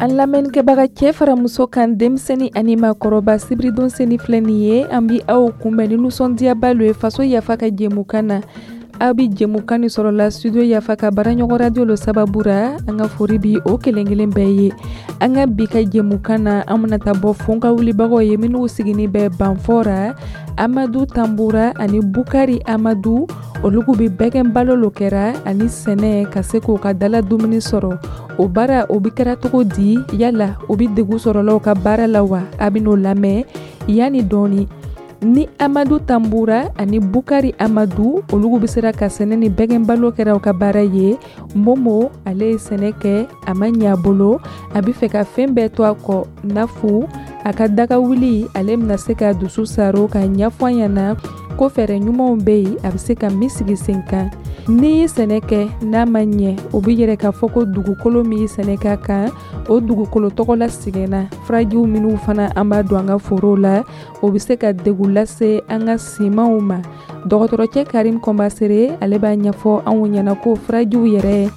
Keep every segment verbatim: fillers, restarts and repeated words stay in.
An lamɛnnikɛbaga cɛ fara muso kan, denmisɛnnin ani maakɔrɔba, sibiridon seni filɛ nin ye, an bi aw kunbɛn ni nisɔndiyaba lo ye Faso Yafa ka jɛmukan na. Aw bi jɛmukan ni sɔrɔ la Studio Yafa ka baaraɲɔgɔn radio lo sababu ra. An ka fori bi o kelen kelen bɛɛ ye. An ka bi ka jɛmukan na, an bena ta bɔ fon ka wulibagaw ye minnu sigini bɛ Banfora, Amadu Tanbura ani Bukari Amadu. Olugu bi bɛgɛn balo lo kɛra ani sɛnɛ ka se k'o ka dala dumuni sɔrɔ. O baara o bi kɛra cogo di? Yala o bi degu sɔrɔla ka baara la wa? A bin'o lamɛn yanni dɔɔni. Ni Amadu Tanbura ani Bukari Amadu olugu be sera ka sɛnɛ ni bɛgɛn balo kɛra u ka baara ye, Momo ale ye sɛnɛ kɛ, a ma ɲɛ a bolo, a be fɛ ka fɛn bɛɛ to a kɔ nafu a ka daga wuli. Ale bena se ka dusu saro ka ɲɛfɔ an ɲɛna ko fɛɛrɛ ɲumanw be yen a be se ka min sigi sen kan. N'i ye sɛnɛ kɛ n'a ma ɲɛ, o be yɛrɛ k'a fɔ ko dugukolo min ye sɛnɛ k'a kan, o dugukolo tɔgɔ la sɛgɛnna. Furajiw minnu fana an b'a don an ka forow la, o be se ka degun lase an ka simanw ma. Dɔgɔtɔrɔcɛ Karim Kɔnbasere ale b'a ɲɛfɔ anw ɲɛna ko furajiw yɛrɛ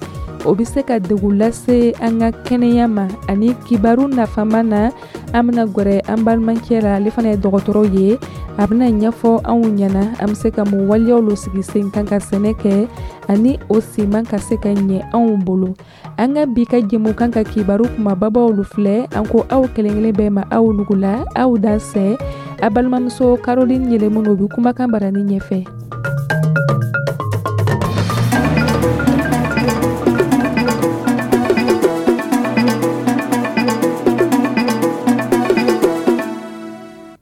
o be se ka degun lase an ka kɛnɛya ma. Ani kibaru nafama na, an bena gwɛrɛ an balimacɛ la, ale fana ye dɔgɔtɔrɔ ye, a bena ɲɛfɔ anw ɲɛna an be se ka mun waleyaw lo sigi sen kan ka sɛnɛ kɛ ani o siman ka se ka ɲɛ anw bolo. An ka bi ka jɛmukan ka kibaru kumababaw lu filɛ. An ko aw kelen kelen bɛɛ ma, aw nugula, aw dansɛ. A balimamuso Caroline Yɛlɛmunu bi kumakan barani ɲɛfɛ.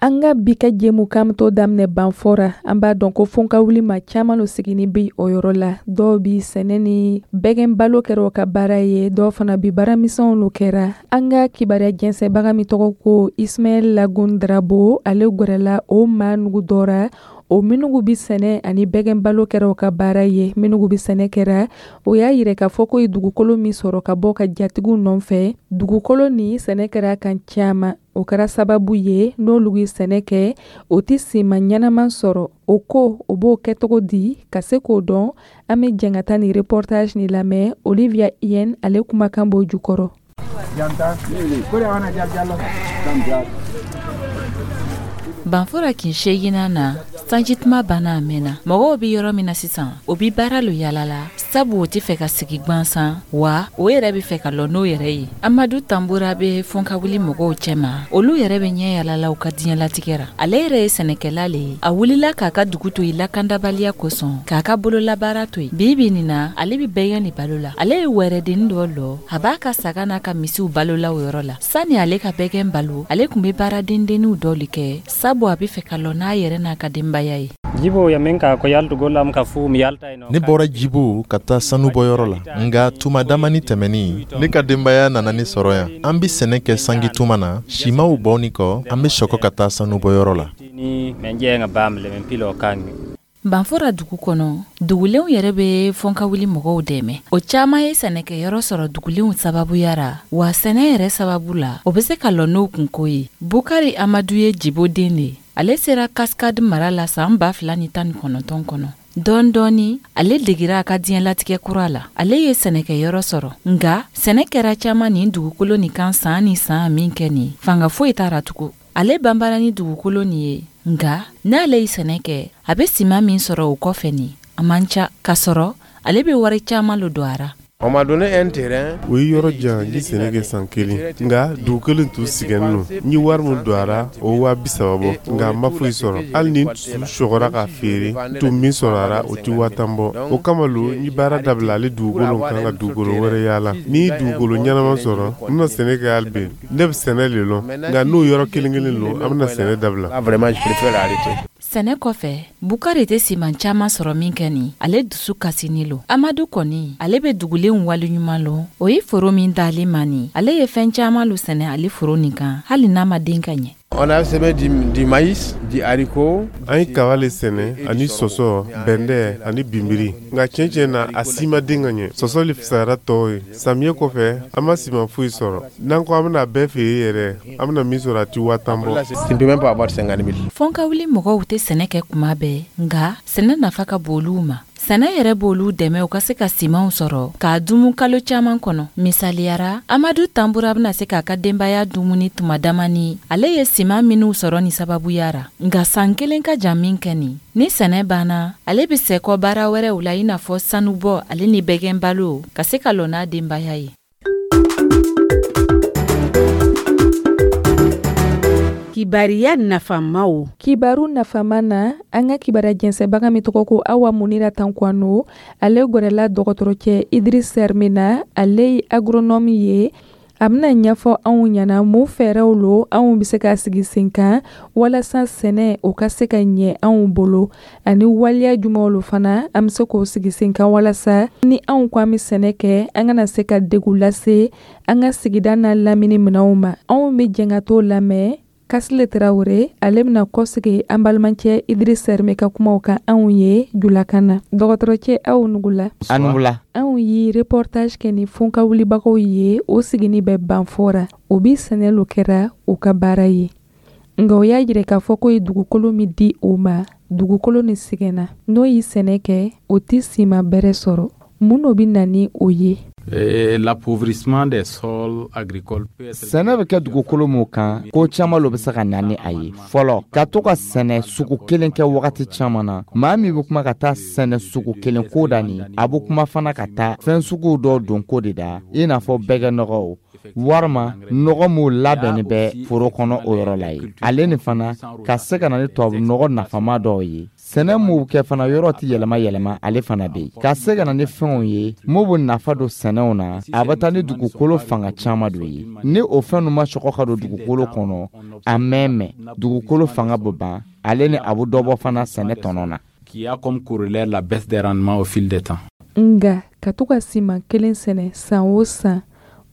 An ka bi ka jɛmukan to daminɛ Banfora. An b'a dɔn ko fon ka wuli ma caman lo sigini bi o yɔrɔ la. Dɔw bi sɛnɛ ni bɛgɛn balo kɛra o ka baara ye, dɔw fana bi baaramisɛnw lo kɛra. An ka kibaruya jɛnsɛnbaga min tɔgɔ ko Ismaɛl Lagun Drabo, ale gwɛrɛla o maa nugu dɔ ra, o minnu bi sɛnɛ ani bɛgɛn balo kɛra o ka baara ye. Minnu bi sɛnɛ kɛra, o y'a yira k'a fɔ ko ye dugukolo min sɔrɔ ka bɔ ka jatigiw nɔfɛ, dugukolo ni sɛnɛ kɛra kan caman, o kɛra sababu ye n'olu ye sɛnɛ kɛ, o tɛ siman ɲɛnaman sɔrɔ. O ko o b'o kɛ cogo di? Ka se k'o dɔn, an bɛ jɛn ka taa nin reportage nin lamɛn. Olivia Yen ale kumakan b'o jukɔrɔ. Banfora kin seeginna na, sanjituma banna a mɛnna. Mɔgɔw bɛ yɔrɔ min na sisan, o bi baara lo yala la, sabu o tɛ fɛ ka sigi gwansan, wa o yɛrɛ bɛ fɛ ka lɔ n'o yɛrɛ ye. Amadu Tanbura bɛ fɔnkawuli mɔgɔw cɛma, olu yɛrɛ bɛ ɲɛ yala la u ka diɲɛlatigɛ ra. Ale yɛrɛ ye sɛnɛkɛla le ye. A wulila k'a ka dugu to yen lakandabaliya kosɔn, k'a ka bololabaara to yen. Bi bi nin na, ale bɛ bɛgɛn de balo la. Ale ye wɛrɛdennin dɔ lɔ, a b'a ka saga n'a ka misiw balo la o yɔrɔ la. Sani ale ka bɛgɛn balo, ale tun bɛ baara dendenninw dɔ le kɛ, sabu a bɛ fɛ ka lɔ n'a yɛrɛ n'a ka denbaya ye. Ne bɔra Jibo ka taa sanubɔyɔrɔ la, nka tuma damani tɛmɛnin, ne ka denbaya nana ne sɔrɔ yan. An bɛ sɛnɛ kɛ sanji tuma na, simaw bɔni kɔ, an bɛ sɔgɔ ka taa sanubɔyɔrɔ la. Banfora dugu kɔnɔ, dugulenw yɛrɛ bɛ fɔnkawuli mɔgɔw dɛmɛ. O caman ye sɛnɛkɛyɔrɔ sɔrɔ dugulenw sababuya ra, wa sɛnɛ yɛrɛ sababu la, o bɛ se ka lɔ n'o kunko ye. Bukari Amadu ye Jibo den de ye. Ale sera Kaskade mara la san ba fila ni tan ni kɔnɔntɔn kɔnɔ. Dɔɔni dɔɔni, ale degira a ka diɲɛlatigɛ kura la. Ale ye sɛnɛkɛyɔrɔ sɔrɔ, nka sɛnɛ kɛra caman nin dugukolo nin kan san ni san min kɛ nin, fanga foyi t'a ra tugun. Ale banbara ni dugukolo nin ye, nka n'ale ye sɛnɛ kɛ, a bɛ siman min sɔrɔ o kɔfɛ nin, a man ca, k'a sɔrɔ ale bɛ wari caman lo don a ra. O ye yɔrɔ jan n ye sɛnɛ kɛ san kelen, nka dugu kelen tun sɛgɛnnen don. N ye wari min don a ra, o waa bi saba bɔ, nka n ma foyi sɔrɔ. Hali ni n tun sɔgɔra k'a feere, n tun min sɔrɔ a ra, o tɛ waa tan bɔ. O kama lo n ye baara dabila ale dugukolo kan ka dugukolo wɛrɛ yaala. Ni n ye dugukolo ɲɛnama sɔrɔ, n bɛna sɛnɛ kɛ hali bi. Ne bɛ sɛnɛ le lɔn, nka n'o yɔrɔ kelen kelen lo, an bɛna sɛnɛ dabila. Sɛnɛ kɔfɛ, Bukari tɛ siman caman sɔrɔ min kɛ nin, ale dusu kasini lo. Amadu kɔni, ale bɛ dugulenw waleɲuman lɔn. O ye foro min d'ale ma nin, ale ye fɛn caman lo sɛnɛ ale foro nin kan, hali n'a ma den ka ɲɛ. On a semé du, du maïs, du haricot. An ye kaba le sɛnɛ ani sɔsɔ, bɛndɛ ani binbiri, nka tiɲɛ tiɲɛ na, a si ma den ka ɲɛ. Sɔsɔ le fisayara tɔw ye. Samiyɛ kɔfɛ, an ma siman foyi sɔrɔ. N'an ko an bɛna bɛɛ feere yɛrɛ, an bɛna min sɔrɔ, a ti waa tan bɔ. Tu ne peux même pas avoir cinquante mille. Fɔnkawuli mɔgɔw tɛ sɛnɛ kɛ kuma bɛɛ, nga sɛnɛ nafa ka bon olu ma. Sɛnɛ yɛrɛ b'olu dɛmɛ u ka se ka simanw sɔrɔ k'a dumu kalo caaman kɔnɔ. Misaliyara, Amadu Tanbura bena se k'a ka denbaya dumuni tuma damani ale ye siman minw sɔrɔ ni sababuya ra, nga san kelen ka jan min kɛ nin. Ni sɛnɛ banna, ale be sɛkɔ baara wɛrɛw la, i n'a fɔ sanubɔ ale ni bɛgɛn balo, ka se ka lɔ n'a denbaya ye. Kibariya nafamaw. Kibaru nafama na, an ka kibaruya jɛnsɛbaga min tɔgɔ ko Awa Munira Tankwano, ale gwɛrɛla dɔgɔtɔrɔcɛ Idris Sɛrme na. Ale ye agronome ye. A bɛna ɲɛfɔ anw ɲɛna mun fɛɛrɛw lo anw bɛ se ka sigi sen kan walasa sɛnɛ o ka se ka ɲɛ anw bolo, ani waleya jumɛnw lo fana an bɛ se k'o sigi sen kan walasa ni anw ko an bɛ sɛnɛ kɛ, an kana se ka degun lase an ka sigida n'a lamini minɛnw ma. Anw bɛ jɛn ka t'o lamɛn. Kasile Tarawele, ale bɛna kɔsegi an balimacɛ Idris Sɛrme ka kumaw kan anw ye julakan na. Dɔgɔtɔrɔcɛ, aw nugula. A nugula. Anw ye reportage kɛ ni fonka wulibagaw ye, o sigini bɛ Banfora. O bi sɛnɛ lo kɛra u ka baara ye, nka o y'a yira k'a fɔ ko ye dugukolo min di o ma, dugukolo ni sɛgɛnna. N'o ye sɛnɛ kɛ, o tɛ siman bɛrɛ sɔrɔ. Mun no bɛ na ni o ye? L'appauvrissement des sols agricoles. Sɛnɛ bɛ kɛ dugukolo mun kan, ko caman lo bɛ se ka na ni a ye. Fɔlɔ, ka to ka sɛnɛ sugu kelen kɛ wagati caman na. Maa min bɛ kuma ka taa sɛnɛ sugu kelen ko da nin, a bɛ kuma fana ka taa fɛn suguw dɔw don ko de da, i n'a fɔ bɛgɛnɔgɔw walima nɔgɔ m'u labɛnni bɛ foro kɔnɔ o yɔrɔ la ye. Ale ni fana ka se ka na ni tubabu nɔgɔ nafama dɔw ye. Sɛnɛ m'u kɛ fana, yɔrɔ tɛ yɛlɛma yɛlɛma, ale fana bɛ yen. Ka se ka na ni fɛnw ye mun bɛ nafa don sɛnɛw na, a bɛ taa ni dugukolo fanga caman dɔ ye. Ni o fɛn ninnu ma sɔgɔ ka don dugukolo kɔnɔ, a mɛn mɛn, dugukolo fanga bɛ ban, ale ni a bɛ dɔ bɔ fana sɛnɛ tɔnɔ na. Qui a comme corollaire la baisse des rendements au fil des temps. Nga ka to ka siman kelen sɛnɛ san o san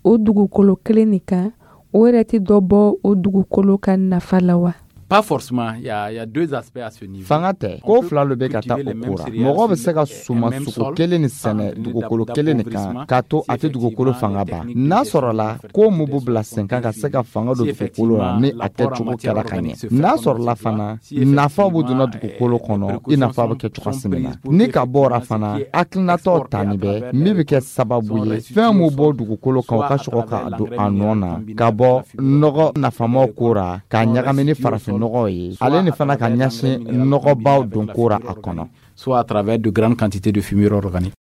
o dugukolo kelen nin kan, o yɛrɛ tɛ dɔ bɔ o dugukolo ka nafa la wa? Pas forcément, il y a, il y a deux aspects à ce niveau. Fanga tɛ ko fila lo bɛ ka taa o ko ra. Mɔgɔ bɛ se ka suma sugu kelen ni sɛnɛ dugukolo kelen nin kan k'a to a tɛ dugukolo fanga ban, n'a sɔrɔla ko mun b'u bila sen kan ka se ka fanga don dugukolo la ni a kɛcogo kɛra ka ɲɛ. N'a sɔrɔla fana, nafa b'u donna dugukolo kɔnɔ i n'a fɔ a bɛ kɛ cogoya min na. Ni ka bɔ o ra fana, hakilinatɔ tani bɛ min bɛ kɛ sababu ye fɛn mun bɔ dugukolo kan, o ka sɔrɔ ka don a nɔ na, ka bɔ nɔgɔ nafamaw ko ra k'a ɲagami ni farafin nɔgɔ ye, ale ni fana ka ɲɛsin nɔgɔbaw don ko ra a kɔnɔ. Soit à travers de grandes quantités de fumier organique.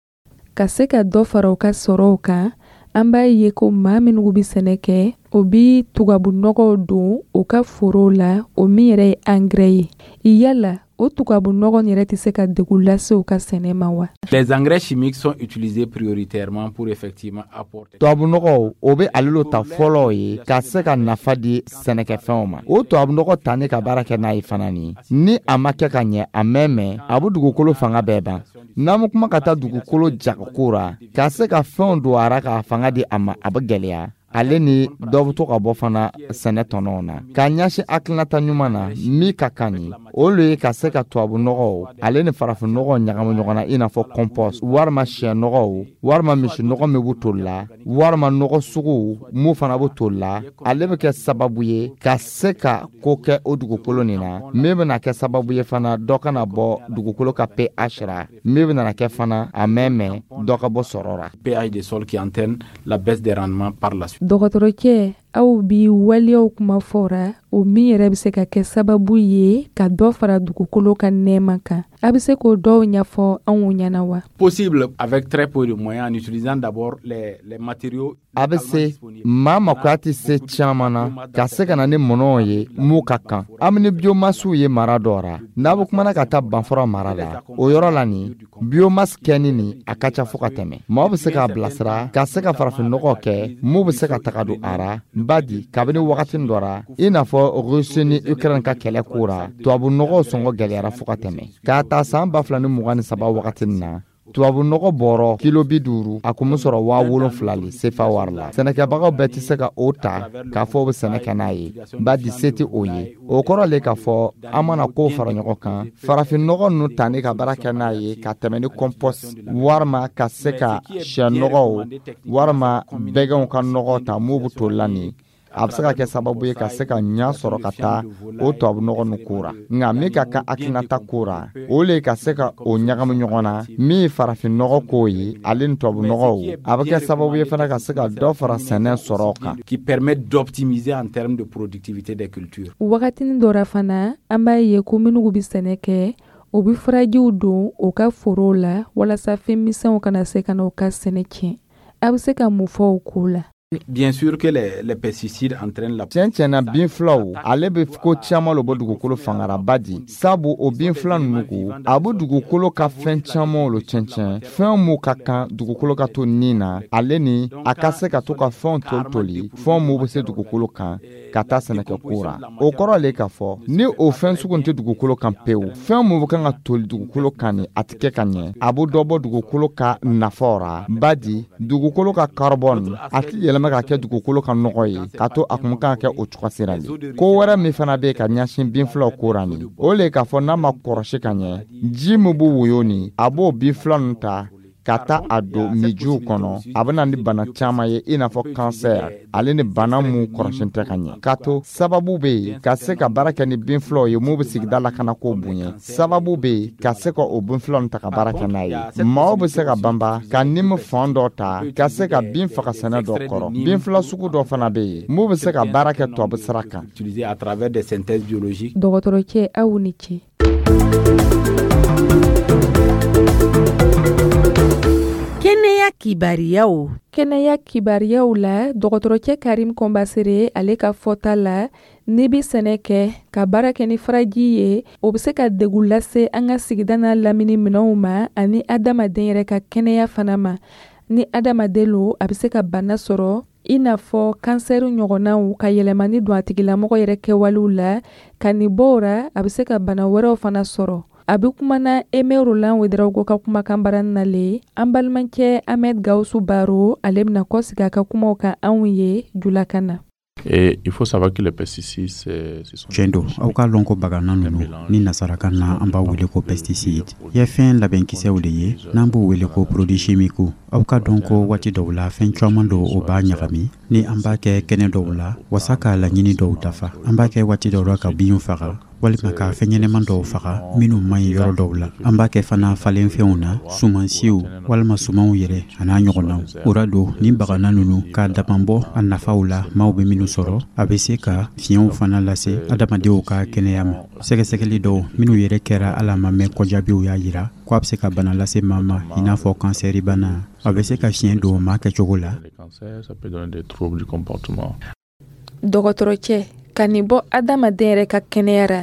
Ka se ka dɔ fara u ka sɔrɔw kan, an b'a ye ko maa minnu bɛ sɛnɛ kɛ, o bi tubabu nɔgɔw don u ka forow la, o min yɛrɛ ye angɛrɛ ye. Yala o tubabu nɔgɔ yɛrɛ tɛ se ka degun lase u ka sɛnɛ ma wa? Les engrais chimiques sont utilisés prioritairement pour effectivement apporter. Tubabu nɔgɔw, o bɛ ale lo ta fɔlɔ ye ka se ka nafa di sɛnɛkɛfɛnw ma. O tubabu nɔgɔ ta ni ka baara kɛ n'a ye fana nin, ni a ma kɛ ka ɲɛ, a mɛn mɛn, a bɛ dugukolo fanga bɛɛ ban. N'an bɛ kuma ka taa dugukolo jagoko ra, ka se ka fɛnw don a ra k'a fanga di a ma, a bɛ gɛlɛya. Ale ni dɔ bɛ to ka bɔ fana sɛnɛ tɔnɔw na. K'a ɲɛsin hakilinata ɲuman na min ka kan nin, o le ye ka se ka tubabu nɔgɔw ale ni farafin nɔgɔw ɲagamu ɲɔgɔn na, i n'a fɔ compost walima sɛ nɔgɔw walima misi nɔgɔ min bɛ toli la walima nɔgɔ suguw mun fana bɛ toli la. Ale bɛ kɛ sababu ye ka se ka ko kɛ o dugukolo nin na min bɛna kɛ sababu ye fana dɔ kana bɔ dugukolo ka P H ra, min bɛna kɛ fana a mɛn mɛn, dɔ ka bɔ sɔrɔ ra. P H des sols qui entraîne la baisse des rendements par la suite. Dɔgɔtɔrɔcɛ, aw bi waleyaw kuma fɔra, o min yɛrɛ bɛ se ka kɛ sababu ye ka dɔ fara dugukolo ka nɛɛma kan, a bɛ se k'o dɔw ɲɛfɔ anw ɲɛna wa? Possible avec très peu de moyens en utilisant d'abord les, les matériaux. A bɛ se, maa makoya tɛ se caman na ka se ka na ni mɔnɔw ye mun ka kan. An bɛ ni biomassew ye mara dɔ ra. N'a bɛ kumana ka taa Banfora mara la, o yɔrɔ la nin, biomasse kɛni nin a ka ca fo ka tɛmɛ. Maaw bɛ se k'a bilasira ka se ka farafinnɔgɔ kɛ mun bɛ se ka taga don a ra. Badi kabini wagati dɔ ra, i n'a fɔ Russie ni Ukraine ka kɛlɛ ko ra, tubabu nɔgɔw sɔngɔ gɛlɛyara fo ka tɛmɛ. K'a ta san ba fila ni mugan ni saba wagati nin na. Tubabu nɔgɔ bɔrɔ kilo bi duuru, a kun bɛ sɔrɔ waa wolonfila le sefa wari la. Sɛnɛkɛbagaw bɛɛ tɛ se ka o ta k'a fɔ o bɛ sɛnɛ kɛ n'a ye, badi se tɛ o ye. O kɔrɔ le k'a fɔ an mana kow fara ɲɔgɔn kan, farafin nɔgɔ ninnu tani ka baara kɛ n'a ye ka tɛmɛ ni compost, walima ka se ka sɛ nɔgɔw walima bɛgɛnw ka nɔgɔ ta m'u bɛ toli la nin, a bɛ se ka kɛ sababu ye ka se ka ɲa sɔrɔ ka taa o tubabu nɔgɔ ninnu ko ra. Nka min ka kan hakilinata ko ra, o le ka se ka o ɲagami ɲɔgɔn na, min ye farafin nɔgɔ ko ye ale ni tubabu nɔgɔw, a bɛ kɛ sababu ye fana ka se ka dɔ fara sɛnɛ sɔrɔ kan. Qui permet d'optimiser en termes de productivité des cultures. Wagatinin dɔ ra fana, an b'a ye ko minnu bɛ sɛnɛ kɛ, o bɛ furajiw don u ka forow la walasa fɛn misɛnw kana se ka na u ka sɛnɛ tiɲɛ. A bɛ se ka mun fɔ o ko la? Bien sûr que les, les pesticides entraînent la. Tiɲɛ tiɲɛna, bin filaw ale bɛ ko caman lo bɔ dugukolo fangara, badi sabu o bin fila ninnu ko a bɛ dugukolo ka fɛn camanw lo tiɲɛ tiɲɛ, fɛn mun ka kan dugukolo ka to nin na, ale ni a ka se ka to ka fɛnw toli toli, fɛn mun bɛ se dugukolo kan ka taa sɛnɛkɛ ko ra. O kɔrɔ le k'a fɔ ni o fɛn sugu tɛ dugukolo kan pewu, fɛn mun bɛ kan ka toli dugukolo kan ni a tɛ kɛ ka ɲɛ, a bɛ dɔ bɔ dugukolo ka nafaw ra, badi dugukolo ka carbone a tɛ yɛlɛma ka kɛ dugukolo ka nɔgɔ ye k'a to a kun kan ka kɛ o cogo sira le. Ko wɛrɛ min fana bɛ ka ɲɛsin bin filaw ko ra nin, o le k'a fɔ n'a ma kɔrɔsi ka ɲɛ, ji min bɛ woyo nin, a b'o bin fila ninnu ta ka taa a don mijiw kɔnɔ, a bɛ na ni bana caman ye, i n'a fɔ kansɛri, ale ni bana mun kɔrɔsi tɛ ka ɲɛ. K'a to sababu bɛ yen ka se ka baara kɛ ni bin filaw ye mun bɛ sigida lakanako bonya, sababu bɛ yen ka se ka o bin filaw ta ka baara kɛ n'a ye. Maaw bɛ se ka banba ka nimu fan dɔ ta ka se ka bin faga sɛnɛ dɔ kɔrɔ. Bin fila sugu dɔ fana bɛ yen mun bɛ se ka baara kɛ tubabu sira kan. Utilisé à travers des synthèses biologiques. Dɔgɔtɔrɔcɛ, aw ni ce. Kɛnɛya kibariyaw. Kɛnɛya kibariyaw la, dɔgɔtɔrɔcɛ Karim Kɔnbasere, ale ka fɔta la, n'i bɛ sɛnɛ kɛ ka baara kɛ ni furaji ye, o bɛ se ka degun lase an ka sigida n'a lamini minɛnw ma ani adamaden yɛrɛ ka kɛnɛya fana ma. Ni adamaden lo, a bɛ se ka bana sɔrɔ i n'a fɔ kansɛri ɲɔgɔnnaw, ka yɛlɛmani don a tigilamɔgɔ yɛrɛ kɛwalew la. Ka nin bɔ o ra, a bɛ se ka bana wɛrɛw fana sɔrɔ. A bɛ kumana Aimé Roland Ouédraogo ka kumakan barani na le. An balimakɛ Ahmed Gawusu Baro, ale bɛna kɔsigi a ka kumaw kan anw ye julakan na. Et il faut savoir que les pesticides, c'est, ce sont Tiɲɛ don, aw k'a lɔn ko bagana ninnu ni nasarakan na an b'a wele ko pesticide ye fɛn labɛnkisɛw de ye, n'an b'o wele ko produit chimique. Aw ka dɔn ko waati dɔw la, fɛn caman dɔw o b'a ɲagami ni an b'a kɛ kɛnɛ dɔw la wasa k'a laɲini dɔw dafa. An b'a kɛ waati dɔw la ka binw faga walima ka fɛn ɲɛnɛman dɔw faga minnu man ɲi yɔrɔ dɔw la. An b'a kɛ fana falenfɛnw na, sumansiw walima sumanw yɛrɛ a n'a ɲɔgɔnnaw. O ra don ni bagana ninnu k'a damanbɔ a nafaw la maaw bɛ minnu sɔrɔ, a bɛ se ka fiɲɛw fana lase adamadenw ka kɛnɛya ma. Sɛgɛsɛgɛli dɔw minnu yɛrɛ kɛra ala ma mɛn kɔjaabiw y'a yira ko a bɛ se ka bana lase maa ma, i n'a fɔ kansɛri bana. A bɛ se ka fiɲɛ don maa kɛcogo la. Dɔgɔtɔrɔcɛ, ka nin bɔ adamaden yɛrɛ ka kɛnɛya ra,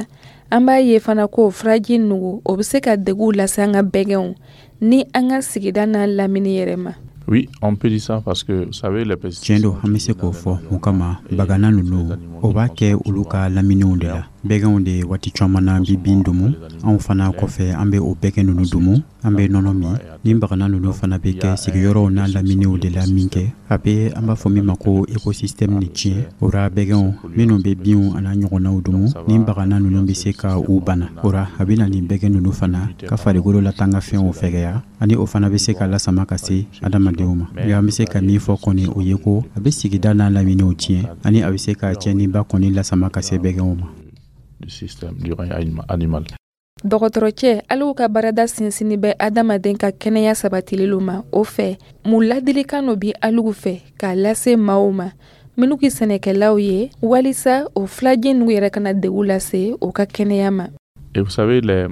an b'a ye fana ko furaji nugu, o bɛ se ka degun lase an ka bɛgɛnw ni an ka sigida n'a lamini yɛrɛ ma. Oui, on peut dire ça parce que, vous savez, les pesticides. Tiɲɛ don, an bɛ se k'o fɔ. Mun kama bagana ninnu o b'a kɛ olu ka laminiw de la? Bɛgɛnw de waati caman na bi bin dumu, anw fana kɔfɛ an bɛ o bɛgɛn ninnu dumu, an bɛ nɔnɔ min. Ni bagana ninnu fana bɛ kɛ sigiyɔrɔw n'a laminiw de la min kɛ, a bɛ an b'a fɔ min ma ko écosystème ni tiɲɛ. O ra bɛgɛnw minnu bɛ binw a n'a ɲɔgɔnnaw dumu, ni bagana ninnu bɛ se ka u bana. O ra a bɛ na ni bɛgɛn ninnu fana ka farikolo latanga fɛnw fɛgɛya, ani o fana bɛ se ka lasama ka se adamadenw ma. Nka an bɛ se ka min fɔ kɔni, o ye ko a bɛ sigida n'a laminiw tiɲɛ, ani a bɛ se ka tiɲɛniba kɔni lasama ka se bɛgɛnw ma. Du système du règne animal. Dɔgɔtɔrɔcɛ, aliw ka baarada sinsinni bɛ adamaden ka kɛnɛya sabatili ma. O fɛ, mun ladilikan dɔ bi aliw fɛ k'a lase maaw ma minnu ki sɛnɛkɛlaw ye, walisa o filajɛ ninnu yɛrɛ kana degun lase o ka kɛnɛya ma? Et vous savez, les,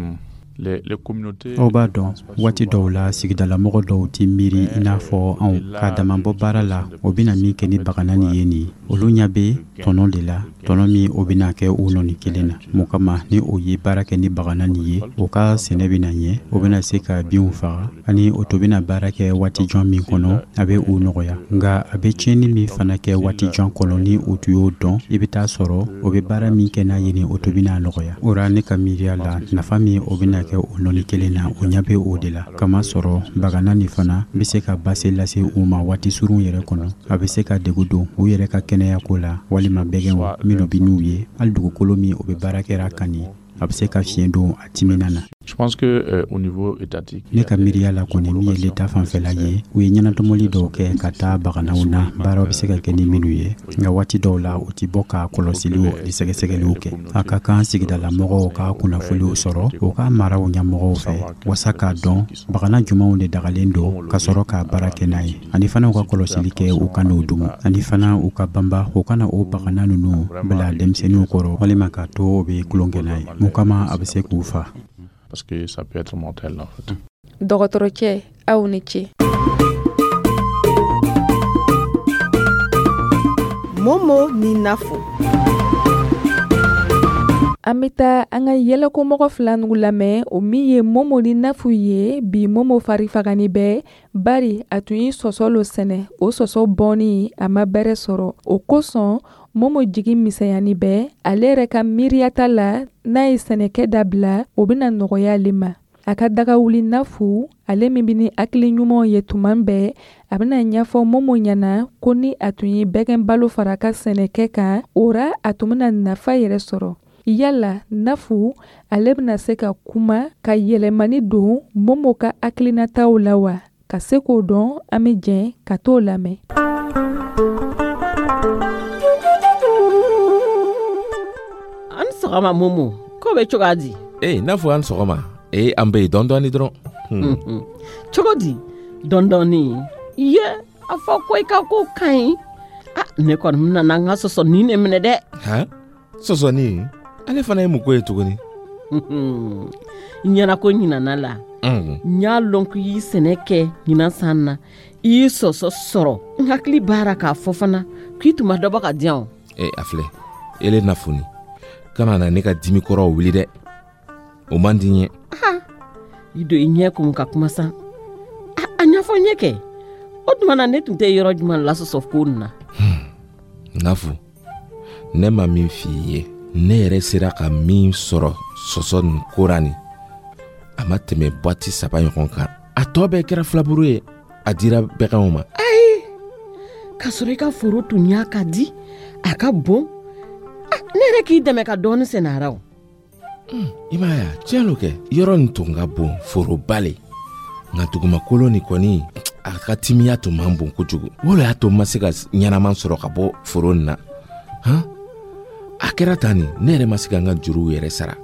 les, les communautés. Aw b'a dɔn, waati dɔw la sigidalamɔgɔ dɔw tɛ miiri i n'a fɔ anw k'a damabɔ baara la o bɛna min kɛ ni bagana nin ye. Nin olu ɲɛ bɛ tɔnɔ de la, tɔnɔ min o bɛna kɛ u nɔni kelen na. Mun kama ni o ye baara kɛ ni bagana nin ye, o ka sɛnɛ bɛna ɲɛ, o bɛna se ka binw faga, ani o to bɛna baara kɛ waati jan min kɔnɔ, a bɛ u nɔgɔya. Nka a bɛ tiɲɛni min fana kɛ waati jan kɔnɔ, ni o tun y'o dɔn, i bɛ taa sɔrɔ o bɛ baara min kɛ n'a ye nin, o to bɛna nɔgɔya. O ra ne ka miiriya la, nafa min o bɛna kɛ o nɔni kelen na, o ɲɛ bɛ o de la, kamasɔrɔ bagana nin fana bɛ se ka basi lase u ma waati surun yɛrɛ kɔnɔ. A bɛ se ka degu don u yɛrɛ ka kɛnɛyako la, walima bɛgɛnw minnu bɛ n'u ye, hali dugukolo min o bɛ baara kɛra kan nin, a bɛ se ka fiɲɛ don a timina na. Je pense que euh, au niveau étatique, Ne ka miiriya la kɔni, min ye leta fanfɛla ye, u ye ɲɛnatɔmɔli dɔw kɛ ka taa baganaw na, baaraw bɛ se ka kɛ ni minnu ye. Nka waati dɔw la, u ti bɔ ka kɔlɔsiliw ni sɛgɛsɛgɛliw kɛ. A ka kan sigidalamɔgɔw ka kunnafoniw sɔrɔ u ka maraw ɲɛmɔgɔw fɛ, wasa k'a dɔn bagana jumanw de dagalen don ka sɔrɔ ka baara kɛ n'a ye, ani fana u ka kɔlɔsili kɛ u ka n'o dumu, ani fana u ka banba u kana o bagana ninnu bila denmisɛnninw kɔrɔ, walima k'a to o bɛ tulonkɛ n'a ye mun kama, a bɛ se k'u fa. Parce que ça peut être mortel en fait. Dɔgɔtɔrɔcɛ, aw ni ce. Momo ni Nafo. An bɛ taa an ka yɛlɛkomɔgɔ fila nugu lamɛn, o min ye Momo ni Nafu ye. Bi, Momo fari fagani bɛ, bari a tun ye sɔsɔ lo sɛnɛ. O sɔsɔ bɔnni, a ma bɛrɛ sɔrɔ. O kosɔn, Momo jigi misɛnyani bɛ. Ale yɛrɛ ka miiriyata la, n'a ye sɛnɛkɛ dabila, o bɛna nɔgɔya ale ma. A ka daga wuli Nafu, ale min bɛ ni hakili ɲumanw ye tuma bɛɛ, a bɛna ɲɛfɔ Momo ɲɛna ko ni a tun ye bɛgɛn balo fara a ka sɛnɛkɛ kan, o ra a tun bɛna nafa yɛrɛ sɔrɔ. Yala Nafu, ale bɛna se ka kuma ka yɛlɛmani don Momo ka hakilinataw la wa? Ka se k'o dɔn, an bɛ jɛn ka t'o lamɛn. An sɔgɔma Momo, ko bɛ cogoya di? Ee, n'a fɔ an sɔgɔma. Ee, an bɛ yen dɔɔni dɔɔni dɔrɔn. Cogo di dɔɔni dɔɔni? Ye a fɔ ko i ka ko ka ɲi. Ah, ne kɔni bɛna n ka sɔsɔnin de minɛ dɛ. Han, sɔsɔnin? Ale fana ye mun ko ye tuguni? N ɲɛna ko ɲinana la. N y'a lɔn ko i y'i sɛnɛ kɛ ɲinan san na, i y'i sɔsɔ sɔrɔ. N hakili b'a k'a fɔ fana k'i tun ma dɔ bɔ ka di yan o. Ee, a filɛ, ele Nafuni, kana na ne ka dimi kɔrɔw wuli dɛ, o man di n ye. I don i ɲɛ kun ka kuma sa. A ɲɛfɔ n ye kɛ, o tuma na ne tun tɛ yɔrɔ jumɛn la sɔsɔ ko nin na? Nafu, ne ma min f'i ye, ne yɛrɛ sera ka min sɔrɔ sɔsɔ nin ko ra nin, a ma tɛmɛ boîte saba ɲɔgɔn kan. A tɔ bɛɛ kɛra filaburu ye, a dira bɛganw ma. Ayi, k'a sɔrɔ i ka foro tun y'a ka di, a ka bon. Ne yɛrɛ k'i dɛmɛ ka dɔɔni sɛnɛ a ra o. I m'a ye a, tiɲɛ lo kɛ, yɔrɔ nin tun ka bon, foroba le, nka dugumakolo nin kɔni, a ka timiya tun man bon kojugu. O le y'a to n ma se ka ɲɛnama sɔrɔ ka bɔ foro nin na. Han, a kɛra tan nin, ne yɛrɛ ma se ka n ka juruw yɛrɛ sara.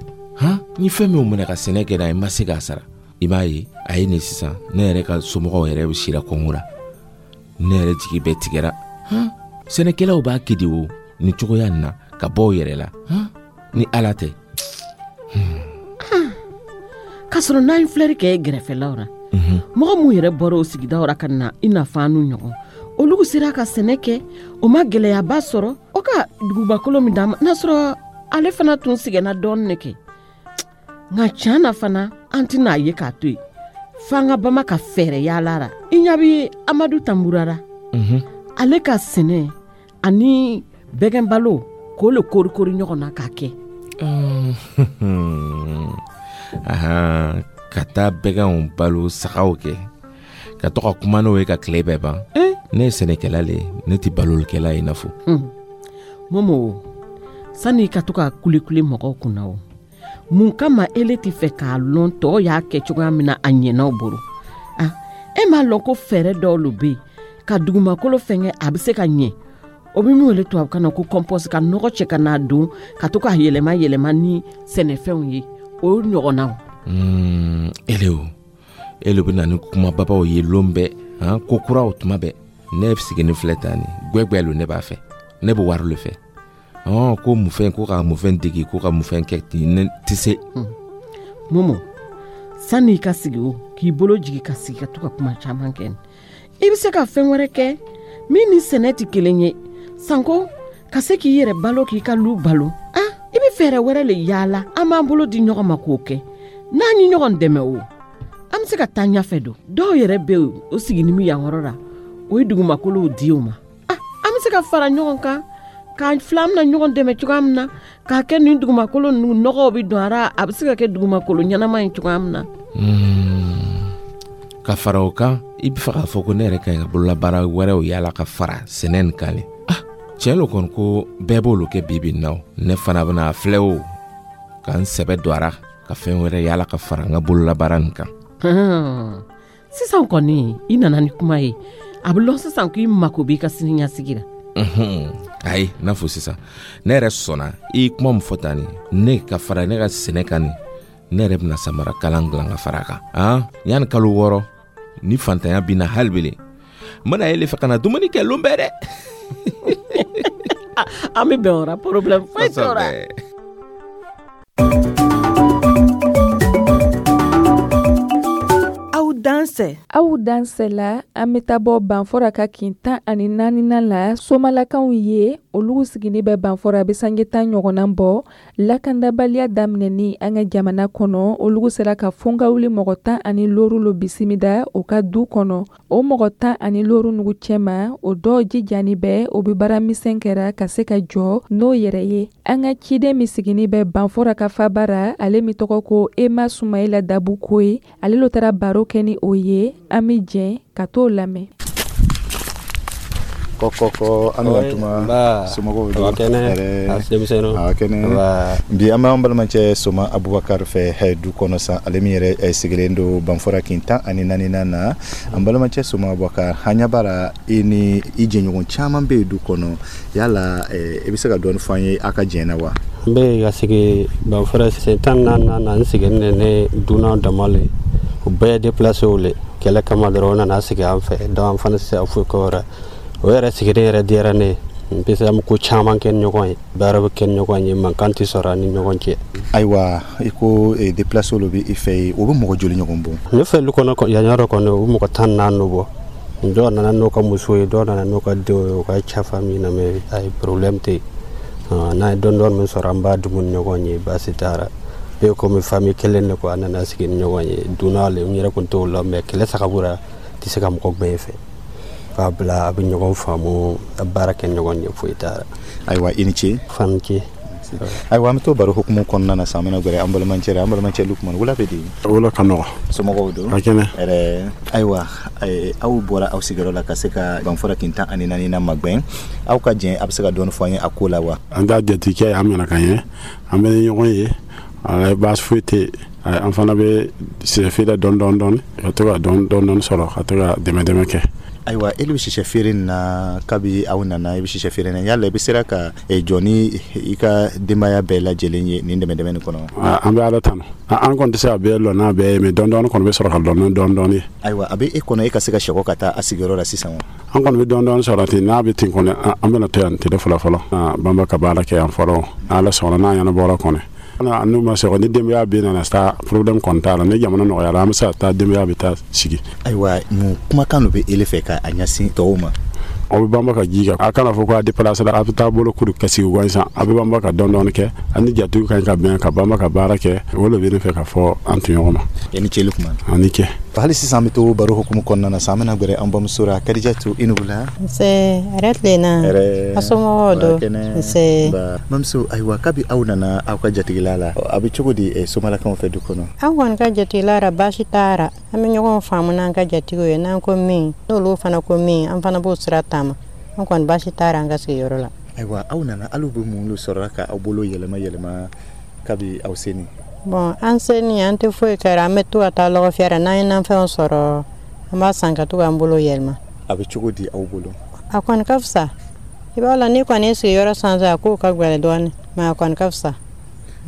Han, n ye fɛn minw minɛ ka sɛnɛ kɛ n'a ye, n ma se k'a sara. I b'a ye, a ye nin sisan, ne yɛrɛ ka somɔgɔw yɛrɛ bɛ sira kɔngɔ la. Ne yɛrɛ jigi bɛɛ tigɛra. Han, sɛnɛkɛlaw b'a kɛ de o nin cogoya nin na ka bɔ u yɛrɛ la. Han, ni Ala tɛ. K'a sɔrɔ n'an ye filɛri kɛ gɛrɛfɛlaw ra, mɔgɔ minnu yɛrɛ bɔra o sigidaw ra ka na i n'a fɔ an n'u ɲɔgɔn, olu sera ka sɛnɛ kɛ, o ma gɛlɛyaba sɔrɔ. O ka dugubakolo min d'an ma, n'a sɔrɔ ale fana tun sɛgɛnna dɔɔnin de kɛ. Nka tiɲɛ na fana, an tɛna a ye k'a to yen, f'an ka bama ka fɛɛrɛ yaala ra. I ɲɛ bɛ Amadu Tanbura ra, ale ka sɛnɛ ani bɛgɛnbalo k'o le korikori ɲɔgɔn na k'a kɛ. Ahan, ka taa bɛgɛnw balo sagaw kɛ, ka to ka kuma n'o ye ka tile bɛɛ ban. Ne ye sɛnɛkɛla le ye, ne tɛ balolikɛla ye. I n'a fɔ Momo, sani i ka to ka kulekule mɔgɔw kunna o, mun kama ele tɛ fɛ k'a lɔn tɔw y'a kɛ cogoya min na a ɲɛna o bolo? Ah, e m'a lɔn ko fɛɛrɛ dɔw lo bɛ yen ka dugumakolo fɛngɛ, a bɛ se ka ɲɛ. O bɛ min wele tubabukan na ko compost, ka nɔgɔ cɛ ka n'a don, ka to k'a yɛlɛma yɛlɛma ni sɛnɛfɛnw ye, o ɲɔgɔnnaw. Mm, ele o, ele bɛ na ni kumababaw ye lon bɛɛ, han, ko kuraw tuma bɛɛ. Ne sigilen filɛ tan nin, gwɛgwɛ lo ne b'a fɛ, ne bɛ wari le fɛ. Ɔn, ko mufɛn, ko ka mufɛn degi, ko ka mufɛn kɛ ten, ne tɛ se. Momo, sani i ka sigi o, k'i bolo jigi ka sigi ka to ka kuma caman kɛ, i bɛ se ka fɛn wɛrɛ kɛ min ni sɛnɛ tɛ kelen ye, sanko ka se k'i yɛrɛ balo, k'i ka lu balo. Ah, i bɛ fɛɛrɛ wɛrɛ le yaala, an b'an bolo di ɲɔgɔn ma k'o kɛ. N'an ye ɲɔgɔn dɛmɛ o, an bɛ se ka taa ɲɛfɛ don. Dɔw yɛrɛ bɛ yen, o sigini bɛ yan yɔrɔ la, o ye dugumakolow di o ma. Ah, an bɛ se ka fara ɲɔgɔn kan k'an fila, an bɛna ɲɔgɔn dɛmɛ cogoya min na K'a kɛ nin dugumakolo ninnu nɔgɔw bɛ don a ra, a bɛ se ka kɛ dugumakolo ɲɛnama ye cogoya min na. Ka fara o kan, i bɛ fɛ k'a fɔ ko ne yɛrɛ ka ɲi ka bololabaara wɛrɛw yala ka fara sɛnɛ nin kan le. Ah, tiɲɛ lo kɔni ko bɛɛ b'olu kɛ bi bi in na o. Ne fana bɛna filɛ o ka n sɛbɛ don a ra ka fɛn wɛrɛ yala ka fara n ka bololabaara nin kan. Sisan kɔni i nana ni kuma ye, a bɛ lɔn sisan k'i mako b'i ka siniɲɛsigi la. Ayi, n'a fɔ sisan ne yɛrɛ sɔnna i ye kuma min fɔ tan nin, ne ka fara ne ka sɛnɛ kan nin, ne yɛrɛ bɛna samara kalan dilan ka fara a kan. Han, yanni kalo wɔɔrɔ ni fantanya binna hali bele, n bɛna ele fɛ ka na dumuni kɛ lon bɛɛ dɛ. An bɛ bɛn o la, problème foyi t'o la. Aw dansɛ. Aw dansɛ la, an bɛ taa bɔ Banfora ka kin tan ani naaninan la, Somalakaw ye, olu sigini bɛ Banfora a bɛ sange tan ɲɔgɔnna bɔ. Lakandabaliya daminɛni an ka jamana kɔnɔ, olu sera ka fɔnkawuli mɔgɔ tan ani looru lo bisimila o ka du kɔnɔ. O mɔgɔ tan ani looru nugu cɛma, o dɔw jijani bɛ, o bɛ baara misɛn kɛra ka se ka jɔ n'o yɛrɛ ye. An ka ciden min sigini bɛ Banfora ka faba ra, ale min tɔgɔ ko Ema Sumayila Dabuko ye, ale lo taara baro kɛ ni o ye. An bɛ jɛn ka t'o lamɛn. Kɔkɔkɔ, an bɛ tuma somɔgɔw don? Kɛnɛ, denmisɛnninw. A kɛnɛ. Bi an b'an balimacɛ Soma Abubakar fɛ du kɔnɔ san, ale min yɛrɛ sigilen don Banfora kin tan ani naaninan na. An balimacɛ Soma Abubakar, an ɲɛ b'a la i ni i jɛɲɔgɔn caman bɛ yen du kɔnɔ, yala i bɛ se ka dɔɔni fɔ an ye aw ka jɛn na wa? N bɛ ka sigi Banfora sen tan naani na, n sigilen ne dunan dama le, u bɛɛ déplacé le kɛlɛ kama dɔrɔn, u nana sigi an fɛ, donc an fana tɛ se ka foyi kɛ o yɛrɛ. O yɛrɛ sigilen yɛrɛ diyara ne ye, parce que an bɛ ko caman kɛ ni ɲɔgɔn ye, baara bɛ kɛ ni ɲɔgɔn ye, mankan tɛ sɔrɔ an ni ɲɔgɔn cɛ. Ayiwa, i ko déplacé olu bɛ i fɛ yen, o bɛ mɔgɔ joli ɲɔgɔn bɔ? Ne fɛ lu kɔnɔ yan yɔrɔ kɔni, o bɛ mɔgɔ tan naani bɔ. Dɔw nana n'u ka muso ye, dɔw nana n'u ka denw ye, u ka ca famille na, mais ayi problème tɛ yen. N'an ye dɔɔni dɔɔni min sɔrɔ, an b'a dun ni ɲɔgɔn ye, baasi t'a la. Bɛɛ komi famille kelen de ko, an nana sigi ni ɲɔgɔn ye, dunan le, n yɛrɛ kun t'o la, mais kɛlɛ sababu la tɛ se ka mɔgɔ gbɛn fɛ. K'a bila a bɛ ɲɔgɔn faamu, a baara kɛ ɲɔgɔn ye, foyi t'a la. Ayiwa, i ni ce. Fani ce. Ayiwa, an bɛ to baro hukumu kɔnɔna na sisan, an bɛna gɛrɛ an balimacɛ la. An balimacɛ Lukumani, wula bɛ di? Wula ka nɔgɔ. Somɔgɔw don? A kɛnɛ. Ɛrɛ, ayiwa, aw bɔra aw sigiyɔrɔ la ka se ka Banfora kin tan ani naani na magɛn, aw ka jɛn, a bɛ se ka dɔɔni fɔ an ye a ko la wa? An t'a jatigikɛ, an minɛ ka ɲɛ, an bɛ ni ɲɔgɔn ye, baasi foyi tɛ yen. An fana bɛ sɛfeere dɔɔni dɔɔni dɔɔni ka to ka dɔɔni dɔɔni sɔrɔ ka to ka dɛmɛ dɛmɛ kɛ. Ayiwa, e bɛ sisɛ feere na, kabi aw nana i bɛ sisɛ feere na, yala i bɛ sera ka jɔ ni i ka denbaya bɛɛ lajɛlen ye nin dɛmɛ dɛmɛ nin kɔnɔ? An bɛ Ala tanu, an kɔni tɛ se ka bɛɛ lɔ n'a bɛɛ ye, mais dɔɔni dɔɔni kɔni bɛ sɔrɔ ka lɔ ni dɔɔni dɔɔni ye. Ayiwa, a bɛ e kɔnɔ e ka se ka sɛgɔ ka taa a sigiyɔrɔ la sisan wa? An kɔni bɛ dɔɔni dɔɔni sɔrɔ ten, n'a bɛ ten kɔni, an bɛna to yan tile fɔlɔ fɔlɔ, banba ka baara kɛ yan fɔlɔ, Ala sɔnna n'a ɲɛnabɔra kɔni. N'u ma sɔrɔ ni denbaya bɛ nana taa problème kɔni t'a la, ni jamana nɔgɔyara an bɛ se ka taa, denbaya bɛ taa sigi. Ayiwa, mun kumakan dɔ bɛ ele fɛ ka a ɲɛsin tɔw ma? Aw bɛ banba ka ji kɛ, a kana fɔ ko a déplacé la, a bɛ taa bolo kuru ka sigi gansan, a bɛ banba ka dɔɔni dɔɔni kɛ, a ni jatigiw ka ɲi ka bɛn ka banba ka baara kɛ, o de bɛ ne fɛ ka fɔ an tɔɲɔgɔn ma. I ni ce Lukumani. A ni ce. Hali sisan an bɛ to baro hukumu kɔnɔna na sisan, an bɛna gɛrɛ an bamuso la, Kadijatu, i ni wula. Nse, hɛrɛ tilenna. Hɛrɛ. A somɔgɔw don? Nse. Bamuso, ayiwa, kabi aw nana aw ka jatigila la, a bɛ cogo di somalakaw fɛ du kɔnɔ? An kɔni ka jatigila la, baasi t'a la. An bɛ ɲɔgɔn faamu n'an ka jatigiw ye, n'an ko min, n'olu fana ko min, an fana b'o sira taama. An kɔni baasi t'a la an ka sigiyɔrɔ la. Ayiwa, aw nana, alu bɛ mun sɔrɔ ka aw bolo yɛlɛma yɛlɛma kabi aw seni? Bon, an seni an tɛ foyi kɛra, an bɛ to ka taa lɔgɔ fiyɛ la, n'an ye nafɛnw sɔrɔ, an b'a san ka to k'an bolo yɛlɛma. A bɛ cogo di aw bolo? A kɔni ka fisa. I b'a la n'i kɔni ye sigiyɔrɔ sanfɛ, a kow ka gɛlɛn dɔɔnin, mais a kɔni ka fisa.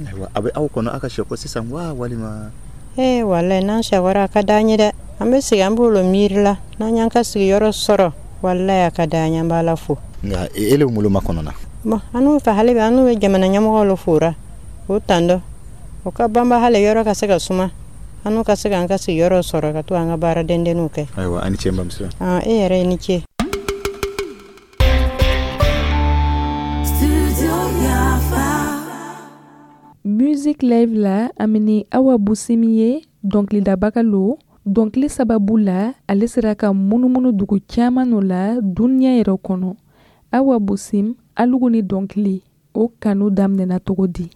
Ayiwa, a bɛ aw kɔnɔ aw ka sɛkɔ sisan wa walima? Ee, walayi, n'an sɛkɔra a ka d'an ye dɛ. An bɛ sigi an b'o miiri la, n'an y'an ka sigiyɔrɔ sɔrɔ, walayi a ka d'an ye, an b'Ala fo. Nka e le bolo ma kɔnɔ na? Bon, an n'u fɛ hali bi, an n'u bɛ jamana ɲɛmɔgɔw le fora, k'u tando. O ka banba hali yɔrɔ ka se ka suma, an n'u ka se k'an ka sigiyɔrɔ sɔrɔ ka to an ka baara dendenninw kɛ. Ayiwa, a ni ce n bamuso. E yɛrɛ i ni ce. Music Live la, an bɛ ni Awa Busimi ye, dɔnkilidabaga lo. Dɔnkili sababu la, ale sera ka munumunu dugu caman o la duniya yɛrɛ kɔnɔ. Awa Busim, alugu ni dɔnkili. O kanu daminɛna cogo di?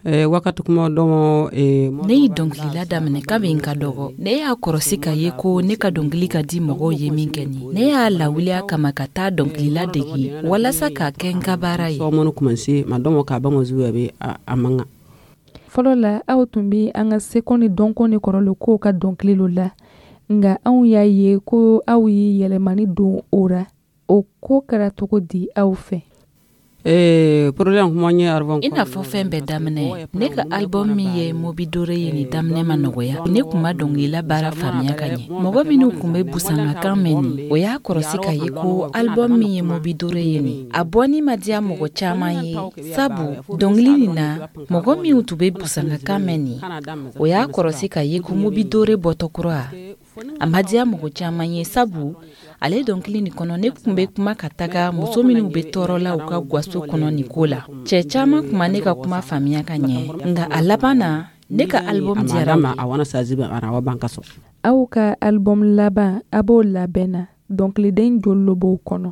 Eh, wakati kuma dɔn eh, ne ye dɔnkilila daminɛ kabi n ka dɔgɔ. Ne y'a kɔrɔsi ka ye ko ne ka dɔnkili ka di mɔgɔw ye min kɛ nin, ne y'a lawuli a kama ka taa dɔnkilila degi walasa k'a kɛ n ka baara ye. Sɔmɔni kumanse ma dɔn k'a ba zuwa bɛ a man kan. Fɔlɔ la, aw tun bɛ an ka seko ni dɔnko ni kɔrɔlen kow ka dɔnkili la, nka anw y'a ye ko aw ye yɛlɛmani don o ra. O ko kɛra cogo di aw fɛ? Eh, problème kuma ɲɛ album I n'a fɔ fɛn bɛɛ daminɛ, ne ka album min ye Mobidore ye nin daminɛ ma nɔgɔya. Ne kun ma dɔnkilila baara faamuya ka ɲɛ. Mɔgɔ minnu kun bɛ busangakan mɛn nin, o y'a kɔrɔsi ka ye ko album min ye Mobidore ye nin, a bɔni ma diya mɔgɔ caman ye, sabu dɔnkili nin na, mɔgɔ minnu tun bɛ busangakan mɛn nin, o y'a kɔrɔsi ka ye ko Mobidore bɔtɔ kura, a ma diya mɔgɔ caman ye, sabu ale dɔnkili nin kɔnɔ, ne kun bɛ kuma ka taga muso minnu bɛ tɔɔrɔ la u ka gaso kɔnɔ nin ko la. Cɛ caman kuma ne ka kuma faamuya ka ɲɛ, nka a laban na, ne ka album diyara. A wana saziba a ban ka sɔn. Aw ka album laban, a b'o labɛn na, dɔnkiliden joli b'o kɔnɔ?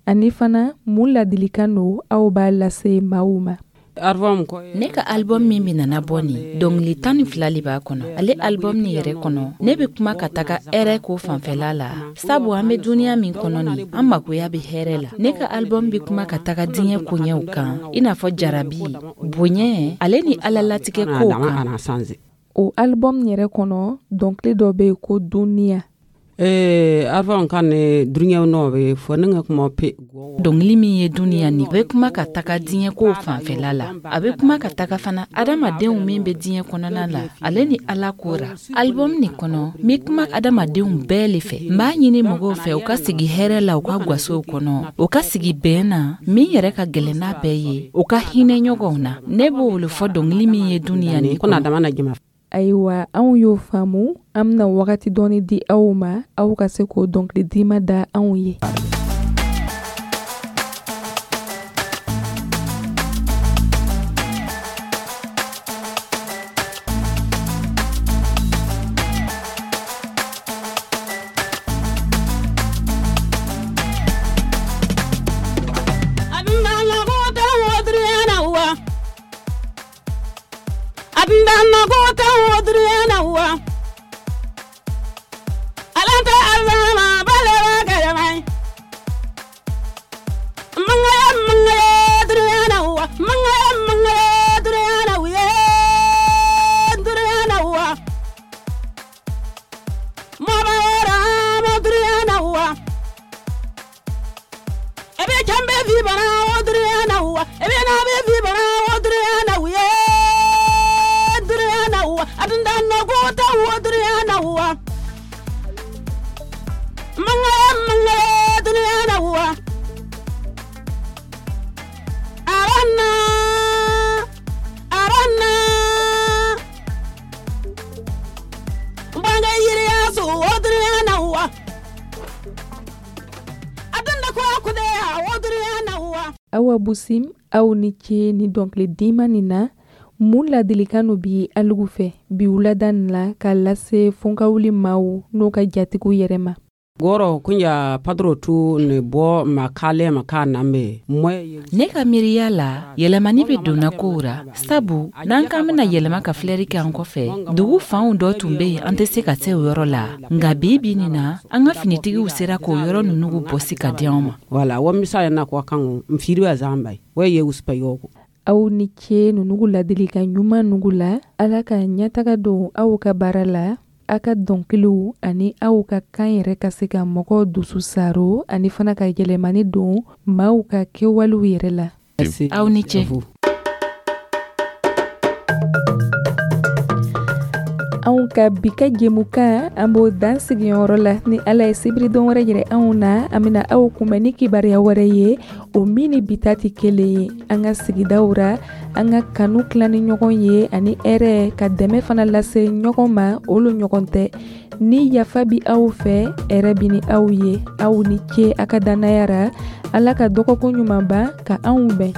Ani fana, mun ladilikan don aw b'a lase maaw ma? Ne ka album min bɛna bɔ nin, dɔnkili tan ni fila de b'a kɔnɔ. Ale album nin yɛrɛ kɔnɔ, ne bɛ kuma ka taga hɛrɛ ko fanfɛla la, sabu an bɛ duniya min kɔnɔ nin, an magoya bɛ hɛrɛ la. Ne ka album bɛ kuma ka taga diɲɛ koɲɛw kan, i n'a fɔ jarabi, bonya, ale ni ala latigɛ kow kan. O album yɛrɛ kɔnɔ, dɔnkili dɔ bɛ yen ko Duniya. Eh, album kan ne duniya nɔ bɛ fɔ ne ka kuma pe. Dɔnkili min ye Duniya nin, a bɛ kuma ka taga diɲɛ kow fanfɛla la. A bɛ kuma ka taga fana adamadenw min bɛ diɲɛ kɔnɔna la, ale ni ala ko ra. Album nin kɔnɔ, n bɛ kuma adamadenw bɛɛ le fɛ. N b'a ɲini mɔgɔw fɛ u ka sigi hɛrɛ la u ka gasow kɔnɔ, u ka sigi bɛn na, min yɛrɛ ka gɛlɛn n'a bɛɛ ye, u ka hinɛ ɲɔgɔnw na. Ne b'o le fɔ dɔnkili min ye Duniya nin kɔnɔ. Ayiwa, anw y'o faamu. An bɛna wagati dɔɔni di aw ma, aw ka se k'o dɔnkili dima da anw ye. Awa Busim, aw ni ce ni dɔnkili dima nin na. Mun ladilikan no bi alugu fɛ bi wulada nin la k'a lase Fɔnkawuli maaw n'o ka jatigiw yɛrɛ ma? Gɔrɔ kunja padro tu ne bɔ ma kale ma ka nambe. Ne ka miiriya la, yɛlɛmani bɛ donna kow ra, sabu n'an k'an bɛna yɛlɛma ka filɛri kɛ an kɔfɛ, dugu fanw dɔ tun bɛ yen an tɛ se ka se o yɔrɔ la, nka bi bi nin na, an ka finitigiw sera k'o yɔrɔ ninnu bɔsi ka di anw ma. Wala wa misaya na ko kan mfiri wa zamba wa ye uspa yoko. Aw ni ce nunugu ladilikan ɲuman nugu la. Ala ka ɲɛtaga don aw ka baara la, a ka dɔnkiliw ani aw ka kan yɛrɛ ka se ka mɔgɔw dusu saro, ani fana ka yɛlɛmani don maaw ka kɛwalew yɛrɛ la. Aw ni ce. Anw ka bi ka jɛmukan, an b'o dan sigiyɔrɔ la. Ni Ala ye sibiridon wɛrɛ yɛrɛ anw na, an bɛna aw kunbɛn ni kibaruya wɛrɛ ye, o min ni bi ta tɛ kelen ye. An ka sigidaw ra, an ka kanu tila ni ɲɔgɔn ye ani hɛrɛ, ka dɛmɛ fana lase ɲɔgɔn ma, olu ɲɔgɔn tɛ. Ni yafa bi aw fɛ, hɛrɛ bi ni aw ye. Aw ni ce a ka dannaya ra. Ala ka dɔgɔkun ɲuman ban ka anw bɛn.